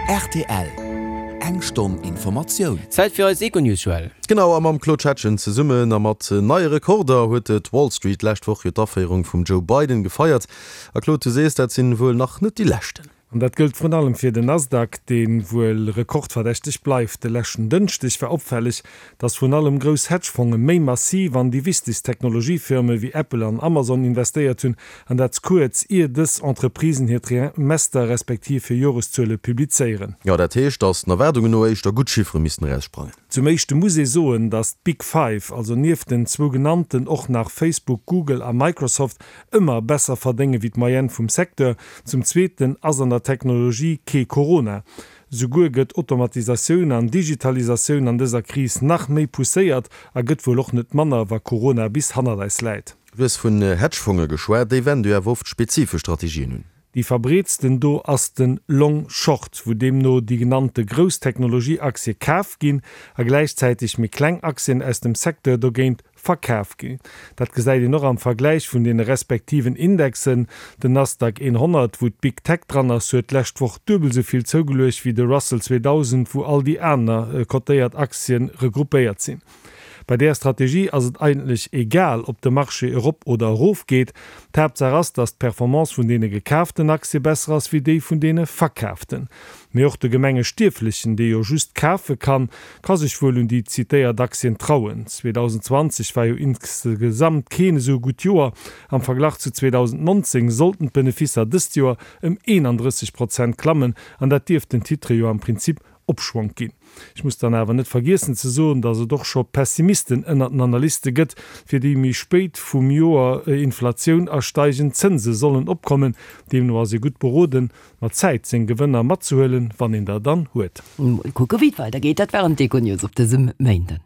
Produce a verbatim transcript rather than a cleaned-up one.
Rtl, Eng Stonn Informatioun. Zäit fir eis Econews, Joël. Genau, a mam Claude Schettgen zesummen a mat neie Rekorder huet d'Wall Street d'lescht Woch jo d'Aféierung vum Joe Biden gefeiert. A Claude, du sees, dat sinn wuel nach net déi leschten. An dat gëllt vrun allem fir den Nasdaq, dee wuel rekordverdächteg bleift. De leschten Dënschdeg war opfälleg, datt vrun allem grouss Hedgefonge méi massiv an déi wichtegst Technologiefirme wéi Apple an Amazon investéiert hunn, an dat kuerz ier dës Entreprisen hir Trimester respektiv hir Joreszuele publizéieren. Jo, dat heescht, datt den Erwaardungen no éischter gutt Chiffere missten eraussprangen. Zum éischte muss ee soen, datt d'Big Five, also nieft den zwou genannten och nach Facebook, Google a Microsoft, ëmmer besser verdénge wéi d'Moyenne vum Secteur. Zum zweeten ass an der Technologie kee Corona. Souguer gëtt Automatisatioun an Digitalisatioun an dëser Kris nach méi pousséiert a gëtt wuel och net manner, wa Corona bis hannert eis läit. Du hues vun Hedgefonge geschwat, déi wende jo awer oft spezifesch Strategien un. Déi verbreetsten do ass den Long Short, wou deemno déi genannte grouss Technologie-Aktie kaf ginn a gläichzäiteg méi kleng Aktien aus dem Secteur dogéint verkaf ginn. Dat gesäit een och am Vergläich vun deene respektiven Indexen. Den Nasdaq honnert, wou d'Big Tech dran ass, huet d'lescht Woch duebel esou vill zougeluecht wéi de Russell zweedausend, wou all déi aner kotéiert Aktien regroupéiert sinn. Bei där Strategie ass et eigentlech egal, ob de Marché erop oder erof geet. D'Haaptsaach ass, datt d'Performance vun deene gekaaften Aktie besser ass wéi déi vun deene verkaaften. Mee och de gemenge Stierflechen, dee jo just kafe kann, ka sech wuel un déi zitéiert Aktien trauen. zweedausendzwanzeg war jo insgesamt keen esou gutt Joer. Am Verglach zu zweedausendnonzéng sollten d'Beneficer dëst Joer ëm eenandrësseg Prozent klammen, an dat dierft den Titre jo am Prinzip Opschwonk ginn. Ech muss dann awer net vergiessen ze soen, datt et och scho Pessimisten ënnert den Analyste gëtt, fir déi méi spéit vum Joer Inflatioun a steigend Zënse sollen opkommen. Deemno ass ee gutt beroden, mat Zäit seng Gewënner matzehuelen, wann een der dann huet. Mol kucke wéi et weidergeet. Dat waren d'Econews op dësem Méinden.